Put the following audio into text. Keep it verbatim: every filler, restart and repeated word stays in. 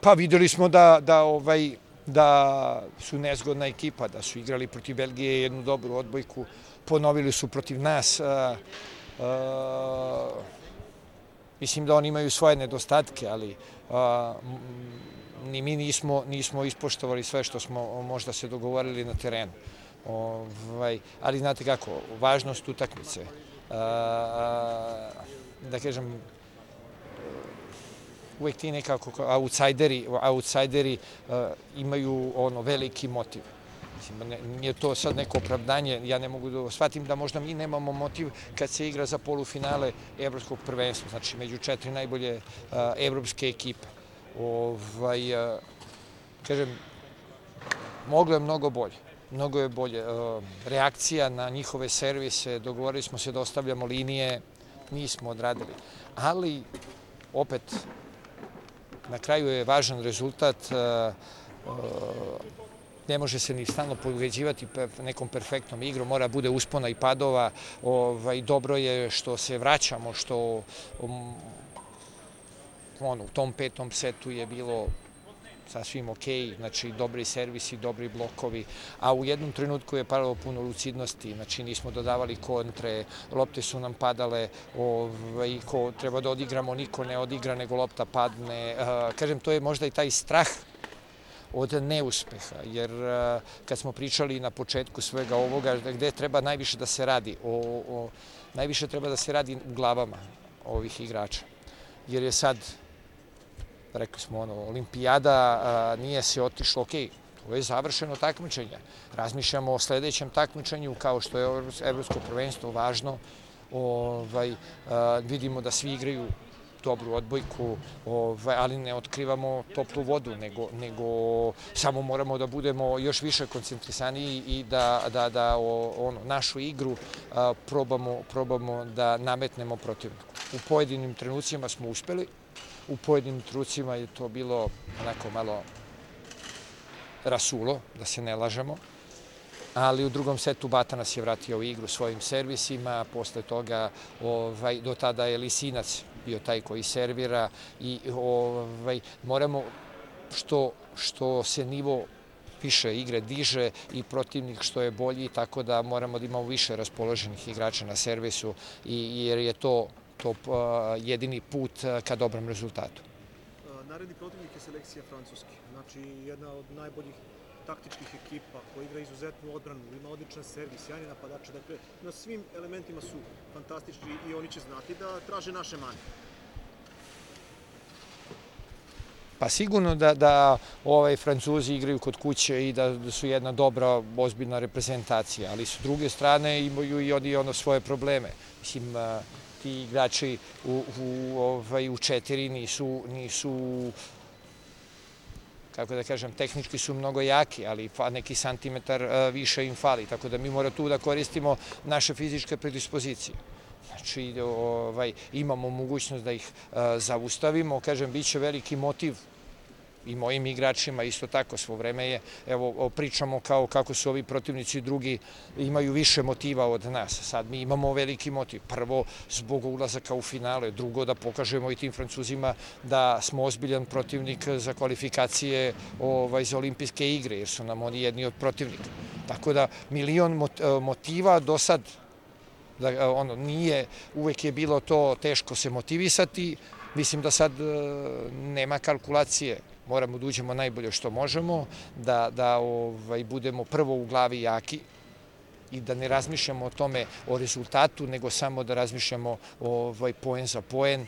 Pa videli smo da, da, ovaj, da su nezgodna ekipa, da su igrali protiv Belgije jednu dobru odbojku, ponovili su protiv nas. A, a, mislim da oni imaju svoje nedostatke, ali a, ni mi nismo, nismo ispoštovali sve što smo možda se dogovorili na terenu. Ovaj, ali znate kako, važnost utakmice, a, da kažem, uvek ti nekako outsideri, outsideri uh, imaju ono veliki motiv. Mislim, ne, nije to sad neko opravdanje, ja ne mogu da shvatim da možda mi nemamo motiv kad se igra za polufinale evropskog prvenstva, znači među četiri najbolje uh, evropske ekipe. Ovaj, uh, kažem, moglo je mnogo bolje. Mnogo je bolje. Uh, reakcija na njihove servise, dogovorili smo se da ostavljamo linije, nismo odradili. Ali, opet, na kraju je važan rezultat, ne može se ni stalno pobeđivati nekom perfektnom igrom, mora bude uspona i padova. Dobro je što se vraćamo, što u tom petom setu je bilo sasvim okej, znači dobri servisi, dobri blokovi, a u jednom trenutku je paralo puno lucidnosti, znači nismo dodavali kontre, lopte su nam padale, ovaj, ko treba da odigramo, niko ne odigra, nego lopta padne. Kažem, to je možda i taj strah od neuspeha, jer kad smo pričali na početku svega ovoga, gde treba najviše da se radi, o, o, najviše treba da se radi u glavama ovih igrača, jer je sad, rekli smo, ono, olimpijada, a, nije se otišlo, okej, to je završeno takmičenje. Razmišljamo o sledećem takmičenju, kao što je evropsko prvenstvo važno. Ovaj, a, vidimo da svi igraju dobru odbojku, ovaj, ali ne otkrivamo toplu vodu, nego, nego samo moramo da budemo još više koncentrisaniji i da, da, da o, ono, našu igru a, probamo, probamo da nametnemo protivniku. U pojedinim trenucima smo uspeli, u pojedinim trenucima je to bilo onako malo rasulo, da se ne lažemo, ali u drugom setu Bata nas je vratio u igru svojim servisima, posle toga ovaj, do tada je Lisinac bio taj koji servira i ovaj, moramo što, što se nivo više igre diže i protivnik što je bolji, tako da moramo da imamo više raspoloženih igrača na servisu i, jer je to to jedini put ka dobrom rezultatu. Naredni protivnik je selekcija Francuske. Znači, jedna od najboljih taktičkih ekipa koja igra izuzetnu odbranu, ima odličan servis, sjajni napadači. Dakle, na svim elementima su fantastični i oni će znati da traže naše mane. Pa sigurno da, da ovaj, Francuzi igraju kod kuće i da su jedna dobra, ozbiljna reprezentacija, ali s druge strane imaju i oni ono svoje probleme. Mislim, ti igrači u, u, ovaj, u četiri nisu, nisu, kako da kažem, tehnički su mnogo jaki, ali neki santimetar više im fali, tako da mi moramo tu da koristimo naše fizičke predispozicije. Znači, ovaj, imamo mogućnost da ih zaustavimo, kažem, bit će veliki motiv i mojim igračima isto tako svo vreme je, evo pričamo kao kako su ovi protivnici drugi imaju više motiva od nas, sad mi imamo veliki motiv, prvo zbog ulazaka u finale, drugo da pokažemo i tim Francuzima da smo ozbiljan protivnik za kvalifikacije ovaj, za olimpijske igre, jer su nam oni jedni od protivnika. Tako da milion motiva do sad, da, ono, nije, uvek je bilo to teško se motivisati, mislim da sad nema kalkulacije, moramo da uđemo najbolje što možemo, da, da ovaj, budemo prvo u glavi jaki i da ne razmišljamo o tome, o rezultatu, nego samo da razmišljamo ovaj, poen za poen